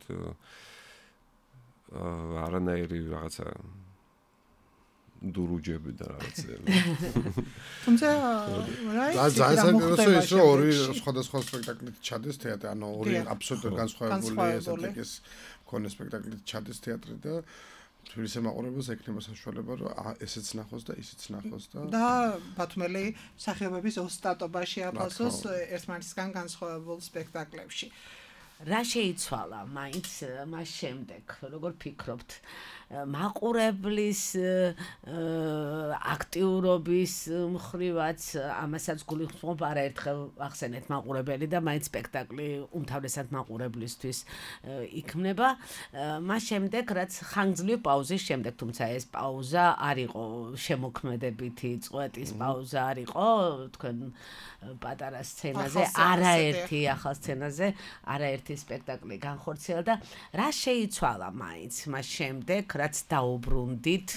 არანაირი რაღაცა დურუჯები და რაღაცები. თუმცა რა საინტერესო ის რომ ორი სხვადასხვა სპექტაკლით ჩადეს თეატრი, ანუ ორი აბსოლუტურად განსხვავებული ესეთიკის მქონე სპექტაკლით ჩადეს თეატრი და თბილისის მაყურებელს ექნება საშუალება რომ ესეც ნახოს და ისიც ნახოს და ბათუმელი სახეობების ოსტატობაში აფასოს ერთმანეთისგან განსხვავებულ სპექტაკლებში. რა შეიცვალა მაინც მას შემდეგ, როგორ ფიქრობთ? მაყურებლის აქტიურობის მხრივაც ამასაც გულისხმობ არაერთხელ ახსენეთ მაყურებელი და მაინც სპექტაკლი უმთავრესად მაყურებლისთვის იქმნება. მას შემდეგ რაც ხანგრძლივი პაუზის შემდეგ, თუმცა ეს პაუზა არ იყო შემოქმედებითი წვეტის პაუზა არ იყო, თქვენ პატარა სცენაზე, არაერთი ახალ სცენაზე, არაერთი სპექტაკლი განხორციელა და რა შეიცვალა მაინც მას შემდეგ, რაც დაუბრუნდით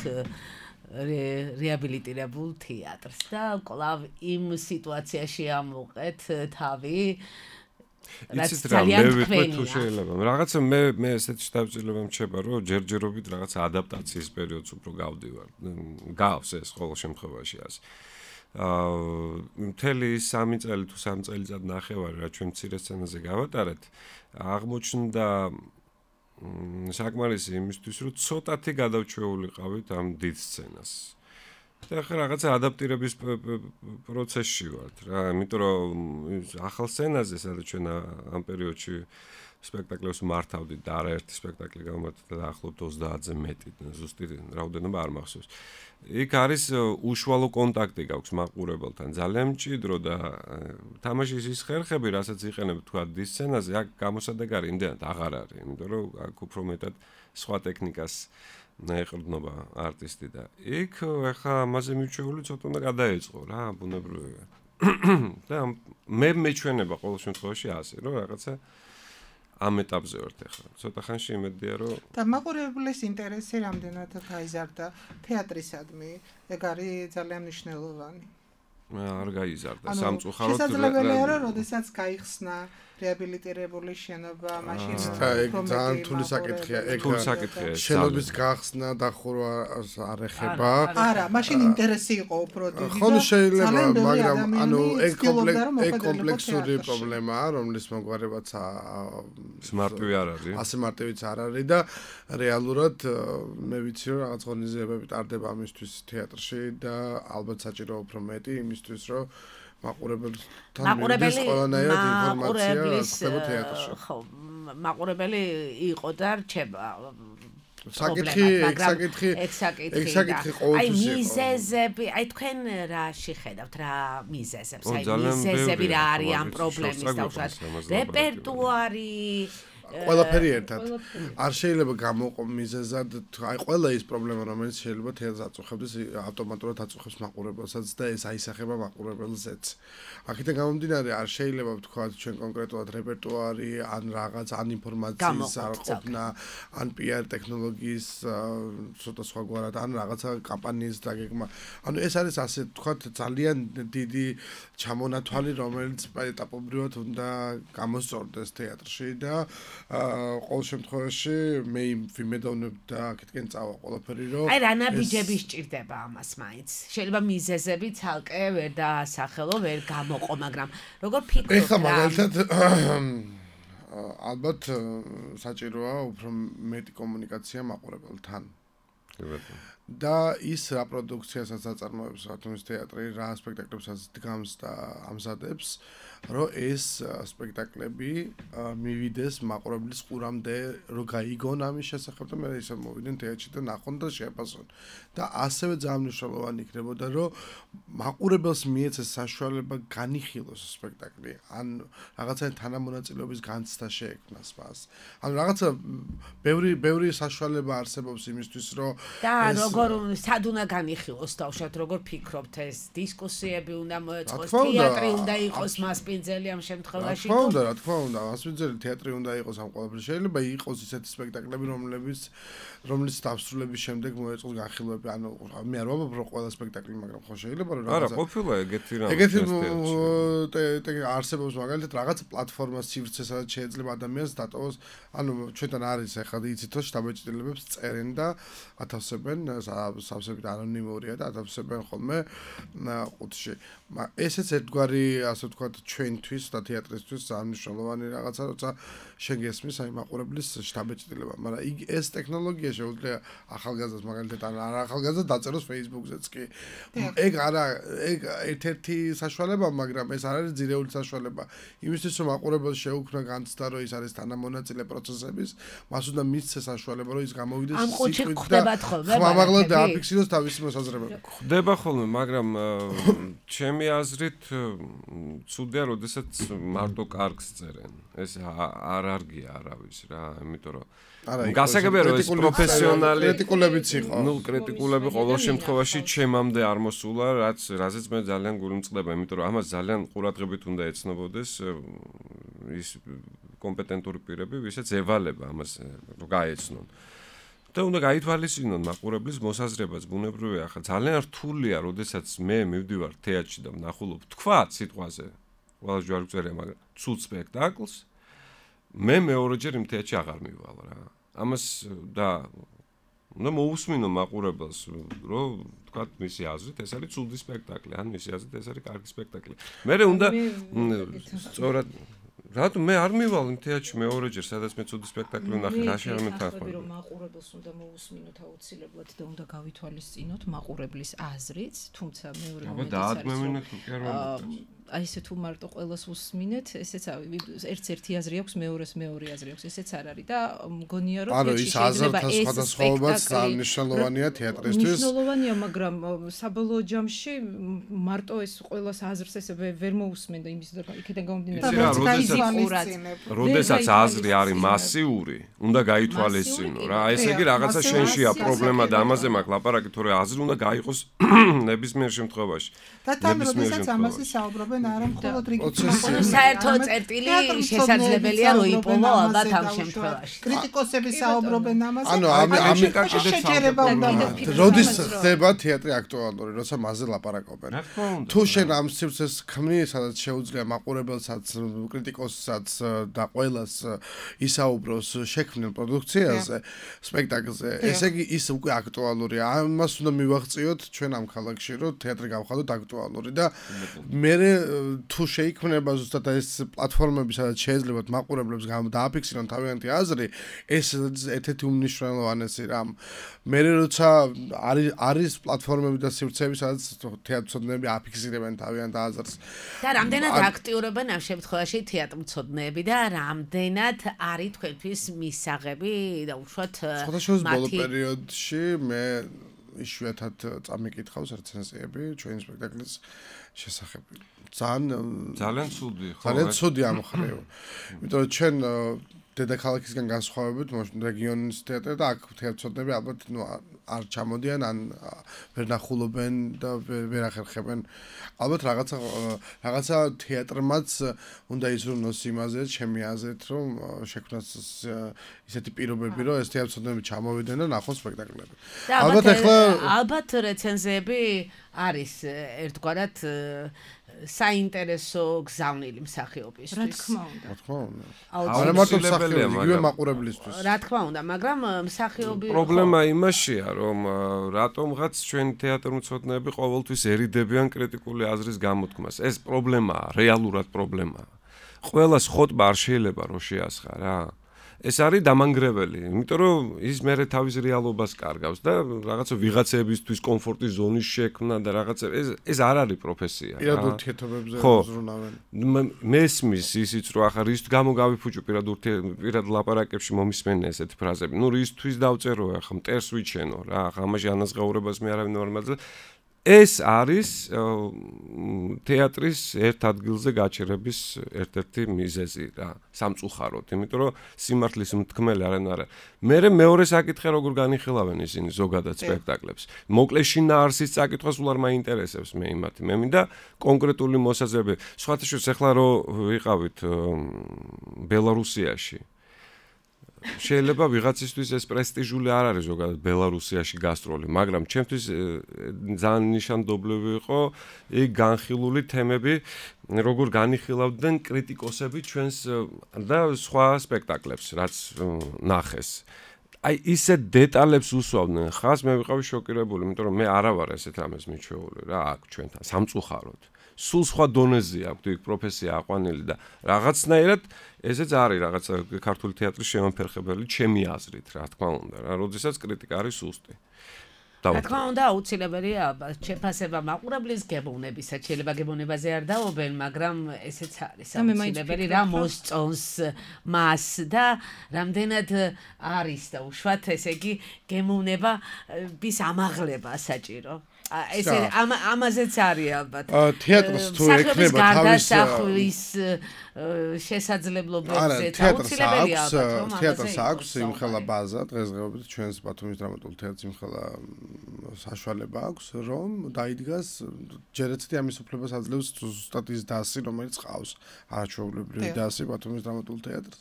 რეაბილიტირებულ თეატრს და კვლავ იმ სიტუაციაში ამოყეთ თავი რაც იცით რა, ძალიან მე ვიტყვი თუ თქვენია. შეიძლება. რაღაცა მე ესეთი შთაბეჭდილება მჩება, რომ ჯერჯერობით რაღაცა ადაპტაციის პერიოდს უფრო გავდივარ. გავს ეს ყოველ შემთხვევაში ასე. მთელი 3 წელი თუ 3 წელიწად ნახევარი რა ჩვენ მცირე სცენაზე გავატარეთ, აღმოჩნდა საკმარისი იმისთვის, რომ ცოტათი გადავჩეულიყავით ამ დიდ სცენას. და ახლა რაღაცა ადაპტირების პროცესში ვართ რა, იმიტომ რომ ახალ სცენაზე, სადაც ჩვენ ამ პერიოდში სპექტაკლებს მართავდით და არაერთი სპექტაკლი გამართა და ახლობთ 30-ზე მეტი, ზუსტი რაოდენობა არ მახსოვს. იქ არის უშუალო კონტაქტი გაქვს მაყურებელთან, ძალიან მჭიდრო და თამაშის ის ხერხები, რასაც იყენებ თქვა დიდ სცენაზე, აქ გამოსადეგარი იმდენად აღარ არის, იმიტომ რომ აქ უფრო მეტად სხვა ტექნიკას ეყრდნობა არტისტი და იქ ახლა ამაზე მიჩვეული ცოტა უნდა გადაეწყო რა, ბუნებრივია. და მე მეჩვენება ყოველ შემთხვევაში ასე, რომ რაღაცა ამ ეტაპზე ვართ ახლა. ცოტა ხანში იმედია, რომ და მაყურებლის ინტერესი რამდენად გაიზარდა თეატრისადმი, ეგ არის ძალიან მნიშვნელოვანი. არ გაიზარდა სამწუხაროდ. შესაძლებელია, რომ როდესაც გაიხსნა რეაბილიტირებული შენობა, მაშინ ეგ ძალიან თული საკითხია. ეგ თული საკითხია. შენობის გახსნა და ხურვას არ ეხება. არა, მაშინ ინტერესი იყო უფრო დიდი. ხოლო შეიძლება, მაგრამ ანუ ეგ კომპლექსური პრობლემაა, რომლის მოგვარებაც მარტივი არ არის. ასე მარტივიც არ არის და რეალურად მე ვიცი რომ რაღაც ღონისძიებები ტარდება ამისთვის თეატრში და ალბათ საჭირო უფრო მეტი იმისთვის რომ მაყურებელთან მიდის ყველანაირად ინფორმაცია ხდება თეატრში. ხო, მაყურებელი იყო და რჩება. საკითხი აი მიზეზები, აი თქვენ რაში ხედავთ რა მიზეზებს, აი მიზეზები რა არის ამ პრობლემის დაუშვათ რეპერტუარი ყველაფერი ერთად. არ შეიძლება გამოყო მიზეზად, აი ყველა ის პრობლემა რომელიც შეიძლება თეატრს აწუხებდეს, ავტომატურად აწუხებს მაყურებელსაც და ეს აისახება მაყურებელზეც. აქედან გამომდინარე არ შეიძლება ვთქვათ ჩვენ კონკრეტულად რეპერტუარი, ან რაღაც ან ინფორმაციის არყოფნა, ან PR ტექნოლოგიის ცოტა სხვაგვარად, ან რაღაცა კამპანიის დაგეგმა. ანუ ეს არის ასე ვთქვათ ძალიან დიდი ჩამონათვალი, რომელიც ეტაპობრივად უნდა გამოსწორდეს თეატრში და ყოველ შემთხვევაში მე ვიმედოვნებ და აქეთკენ წავა ყველაფერი რომ აი რა ნაბიჯები სჭირდება ამას მაინც შეიძლება მიზეზები ცალკე ვერ დაასახელო ვერ გამოყო მაგრამ როგორ ფიქრობ ეხლა მაგალითად ალბათ საჭიროა უფრო მეტი კომუნიკაცია მაყურებელთან და ის რა პროდუქციასაც აწარმოებს ათონის თეატრი რა სპექტაკლებსაც დგამს და ამზადებს რომ ეს სპექტაკლები მივიდეს მაყურებლის ყურამდე რომ გაიგონ ამის შესახებ და მე ისე მოვიდნენ თეატრში და ნახონ და შეაფასონ და ასევე ძალიან მნიშვნელოვანი იქნებოდა რომ მაყურებელს მიეცეს საშუალება განიხილოს სპექტაკლი ან რაღაცა თანამონაწილეობის განცდა შეექმნას მას ანუ რაღაცა ბევრი საშუალება არსებობს იმისთვის რომ და როგორ სად უნდა განიხილოს თავშად როგორ ფიქრობთ ეს დისკუსიები უნდა მოეწყოს თეატრი უნდა იყოს მასპინძელი ამ შემთხვევაში რა თქმა უნდა მასპინძელი თეატრი უნდა იყოს ამ ყველაფერში შეიძლება იყოს ისეთი სპექტაკლები რომლის დასრულების შემდეგ მოეწყოს განხილვები ანუ მე არ ვამბობ რომ ყველა სპექტაკლი მაგრამ ხო შეიძლება რომ არა ყოფილა ეგეთი არსებობს მაგალითად რაღაც პლატფორმა სივრცე სადაც შეიძლება ადამიანს დატოვოს ანუ ჩვენთან არის ახლა იცით რომ შტაბ-ეჭდილებებს წერენ და ათავსებენ სავსებით ანონიმურია და ათავსებენ ხოლმე ყუთში ესეც ერთგვარი ასე ვთქვათ ჩვენთვის და თეატრისთვის მნიშვნელოვანი რაღაცა როცა შენ გესმის აი მაყურებლის შტაბ-ეჭდილება მაგრამ ეს ტექნოლოგია შეუძლია ახალგაზრდას მაგალითად არ ახალგაზრდა დაწეროს Facebook-ზეც კი ეგ არა ეგ ერთ-ერთი საშუალება მაგრამ ეს არ არის ძირეული საშუალება იმისთვის რომ მაყურებელს შეუქმნა განცდა რომ ის არის თანამონაწილე პროცესების მას უნდა მისცეს საშუალება რომ ის გამოვიდეს ამ ყუთში ხდებათ ხოლმე ხმამაღლა დააფიქსიროს თავისი მოსაზრება ხდება ხოლმე მაგრამ ჩემი აზრით ცუდია როდესაც მარტო კარგს წერენ ეს არ არგია არავის რა იმიტომ რომ გასაგებია რომ ეს პროფესიონალი კრიტიკულებიც იყო ნუ კრიტიკულები ყოველ შემთხვევაში ჩემამდე არ მოსულა რაზეც მე ძალიან გული მწყდება იმიტომ რომ ამას ძალიან ყურადღებით უნდა ეცნობოდეს ის კომპეტენტური პირები ვისაც ევალება ამას რომ გაეცნონ და უნდა გაითვალისწინონ მაყურებლის მოსაზრებაც ბუნებრივია ახლა ძალიან რთულია როდესაც მე მივდივარ თეატრში და ვნახულობ თქვა სიტყვაზე ყველა ჯვარგზელია, მაგრამ ცუდ სპექტაკლს მე მეორეჯერ იმ თეატრში აღარ მივალ რა. ამას და უნდა მოусმინო მაყურებელს, რომ თქვათ მისი აზრით ეს არის ცუდი სპექტაკლი, ან მისი აზრით ეს არის კარგი სპექტაკლი. მე უნდა სწორად რატომ მე არ მივალ იმ თეატრში მეორეჯერ, სადაც მე ცუდი სპექტაკლი ვნახე, რა შემეთანხმება. რომ მაყურებელს უნდა მოусმინოთ აუცილებლად და უნდა გავითვალისწინოთ მაყურებლის აზრიც, თუმცა მეორე მომენტიც აი ესე თუ მარტო ყველას უსმინეთ, ესეც ერთ-ერთი აზრი აქვს, მეორეს მეორე აზრი აქვს, ესეც არ არის და მგონია რომ ანუ ის აზრთა სხვადასხვაობაც მნიშვნელოვანია თეატრისთვის. მნიშვნელოვანია, მაგრამ საბოლოო ჯამში მარტო ეს ყველას აზრს ესე ვერ მოусმენ და იმის იქიდან გამომდინარე. როდესაც აზრი არის მასიური, უნდა გაითვალისწინო რა. ესე იგი რაღაცა შენშია პრობლემა და ამაზე მაქვს ლაპარაკი, თორე აზრი უნდა გაიყოს ნებისმიერ შემთხვევაში. და თან როდესაც ამაზე საუბრობენ არა მხოლოდ რიგით საერთო წერტილი შესაძლებელია რომ იპოვო ალბათ ამ შემთხვევაში. კრიტიკოსები საუბრობენ ამაზე. ანუ შეჯერება უნდა როდის ხდება თეატრი აქტუალური, როცა მასზე ლაპარაკობენ. თუ შენ ამ სივრცეს ქმნი, სადაც შეუძლია მაყურებელსაც, კრიტიკოსსაც და ყველას ისაუბროს შექმნილ პროდუქციაზე, სპექტაკლზე, ესე იგი ის უკვე აქტუალურია. ამას უნდა მივაღწიოთ ჩვენ ამ ქალაქში, რომ თეატრი გავხადოთ აქტუალური და მე თუ შეიქმნება ზუსტად ეს პლატფორმები, სადაც შეეძლებათ მაყურებლებს დააფიქსირონ თავიანთი აზრი, ეს ერთ-ერთი უმნიშვნელოვანესი რამ. მე როცა არის პლატფორმები და სივრცეები, სადაც თეატრმცოდნეები აფიქსირებენ თავიანთ აზრს. და რამდენად აქტიურობენ ამ შემთხვევაში თეატრმცოდნეები და რამდენად არის თქვენთვის მისაღები და უშუალოდ სხვადასხვა ბოლო პერიოდში მე იშვიათად წამიკითხავს რეცენზიები ჩვენი სპექტაკლის შესახებ. ძალიან ცუდი, ხო? ძალიან ცუდი ამ ხრივ. იმიტომ რომ ჩვენ დედაქალაქისგან განსხვავებით, რეგიონის თეატრი და აქ თეატრმცოდნეები ალბათ არ ჩამოდიან, ან ვერ ნახულობენ და ვერ ახერხებენ. ალბათ რაღაცა თეატრმაც უნდა იზრუნოს იმაზე, ჩემი აზრით, რომ შექმნას ისეთი პირობები, რომ ეს თეატრმცოდნეები ჩამოვიდნენ და ნახონ სპექტაკლები. ალბათ რეცენზიები არის ერთგვარად საინტერესო გზავნილი მსახიობისთვის. რა თქმა უნდა. არა მარტო მსახიობი, იგივე მაყურებლისთვის. რა თქმა უნდა, მაგრამ მსახიობი პრობლემა იმაშია, რომ რატომღაც ჩვენი თეატრმცოდნეები ყოველთვის ერიდებიან კრიტიკული აზრის გამოთქმას. ეს პრობლემაა, რეალურად პრობლემაა. ყველას ხოტბა არ შეიძლება რომ შეასხა რა. ეს არის დამანგრეველი, იმიტომ რომ ის მერე თავის რეალობას კარგავს და რაღაცა ვიღაცებისთვის კომფორტის ზონის შექმნა და რაღაცა ეს არ არის პროფესია. პირად ურთიერთობებზე ზრუნავენ. მესმის ისიც რომ ახლა რის გამო გავიფუჭო პირად ლაპარაკებში მომისმენია ესეთი ფრაზები. ნუ რისთვის დავწერო ახლა მტერს ვიჩენო რა, ახლა ამაში ანაზღაურებას მე არავინ არ მაძლევ. ეს არის თეატრის ერთ ადგილზე გაჩერების ერთ-ერთი მიზეზი რა, სამწუხაროდ, იმიტომ რომ სიმართლის მთქმელი არიან არა. მე მეორე საკითხი როგორ განიხილავენ ისინი ზოგადად სპექტაკლებს. მოკლე შინაარსის საკითხს სულ არ მაინტერესებს მე იმათი. მე მინდა კონკრეტული მოსაზრება. სხვათა შორის ახლა რო ვიყავით ბელარუსიაში შეიძლება ვიღაცისთვის ეს პრესტიჟული არ არის ზოგადად ბელარუსიაში გასტროლი, მაგრამ ჩემთვის ძალიან ნიშანდობლივი იყო იქ განხილული თემები, როგორ განიხილავდნენ კრიტიკოსები ჩვენს და სხვა სპექტაკლებს, რაც ნახეს. აი ისე დეტალებს უსვამდნენ, ხას მე ვიყავი შოკირებული, იმიტომ რომ მე არა ვარ ესეთ რამეს მიჩვეული რა აქ ჩვენთან, სამწუხაროდ. სულ სხვა დონეზე აქვს იქ პროფესია აყვანილი და რაღაცნაირად ესეც არის რაღაცა ქართული თეატრის შემოფერხებელი ჩემი აზრით, რა თქმა უნდა, რა, როდესაც კრიტიკა არის სუსტი. რა თქმა უნდა, აუცილებელია შეფასება მაყურებლის გებოვნებისა, შეიძლება გებოვნებაზე არ დაობენ, მაგრამ ესეც არის აუცილებელი რა მოსწონს მას და რამდენად არის და უშუალოდ ესე იგი გემოვნების ამაღლება საჭირო. ესე ამაზეც არის ალბათ. თეატრს თუ ექნება თავის შესაძლებლობებზე აუცილებელია ალბათ. თეატრს აქვს იმხელა ბაზა დღესდღეობით ჩვენს ბათუმის დრამატულ თეატრს იმხელა საშუალება აქვს, რომ დაიდგას ჯერეცეთი ამის უფლებას აძლევს ზუსტად ის დასი, რომელიც ყავს არაჩვეულებრივი დასი ბათუმის დრამატულ თეატრს.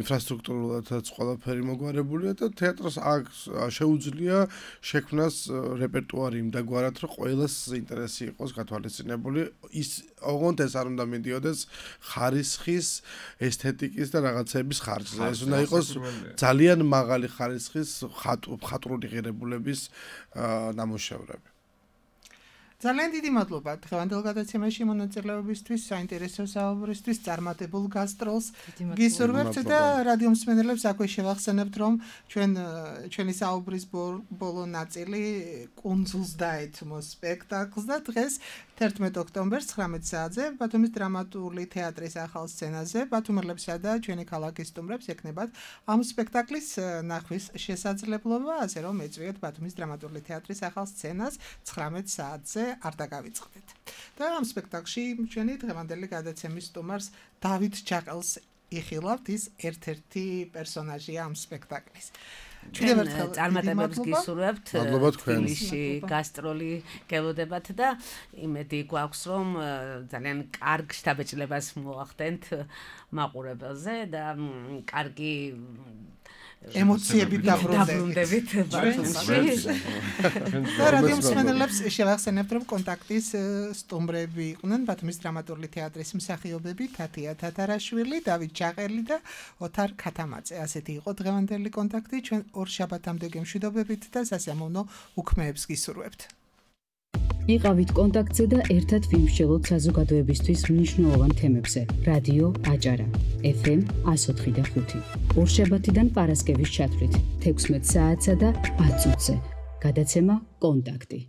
ინფრასტრუქტურულადაც ყველაფერი მოგვარებულია და თეატრს აქვს შეუძლია შექმნას რეპერტუარი იმდაგვარად, რომ ყველას ინტერესი იყოს გათვალისწინებული. ის ოღონდ ეს არ უნდა მიდიოდეს ხარისხის, ესთეტიკის და რაღაცების ხარჯზე. ეს უნდა იყოს ძალიან მაღალი ხარისხის ხატრული ღირებულების ნამუშევრები. ძალიან დიდი მადლობა დღევანდელ გადაცემაში მონაწილეობისთვის, საინტერესო საუბრისთვის, წარმატებულ გასტროლს. გისურვებთ და რადიო მსმენელებს აქვე შევახსენებთ, რომ ჩვენი საუბრის ბოლო ნაწილი კუნძულს დაეთმო სპექტაკლს და დღეს 11 ოქტომბერს 19 საათზე ბათუმის დრამატული თეატრის ახალ სცენაზე ბათუმელებსა და ჩვენი ქალაქის სტუმრებს ექნებათ ამ სპექტაკლის ნახვის შესაძლებლობა, ასე რომ ეწვიოთ ბათუმის დრამატული თეატრის ახალ სცენას 19 საათზე არ დაგავიწყდეთ. და ამ სპექტაკლში ჩვენი დღევანდელი გადაცემის სტუმარს დავით ჯაყელს იხილავთ, ის ერთ-ერთი პერსონაჟია ამ სპექტაკლის. ჩვენ წარმატებებს გისურვებთ თბილისში გასტროლი გელოდებათ და იმედი გვაქვს რომ ძალიან კარგ შთაბეჭდილებას მოახდენთ მაყურებელზე და კარგი ემოციები დაბრუნდებით ბათუმში. რადიო მსმენელებს შევახსენებთ, რომ კონტაქტის სტუმრები იყვნენ ბათუმის დრამატული თეატრის მსახიობები თათია თათარაშვილი, დავით ჯაყელი და ოთარ ქათამაძე. ასეთი იყო დღევანდელი კონტაქტი. ჩვენ ორ შაბათამდე გემშვიდობებით და სასიამოვნო უქმეებს გისურვებთ. იყავით კონტაქტზე და ერთად ვიმსჯელოთ საზოგადოებისთვის მნიშვნელოვან თემებზე. რადიო აჭარა FM 104.5. ორშაბათიდან პარასკევის ჩათვლით 16 საათსა და 10 წუთზე. გადაცემა კონტაქტი.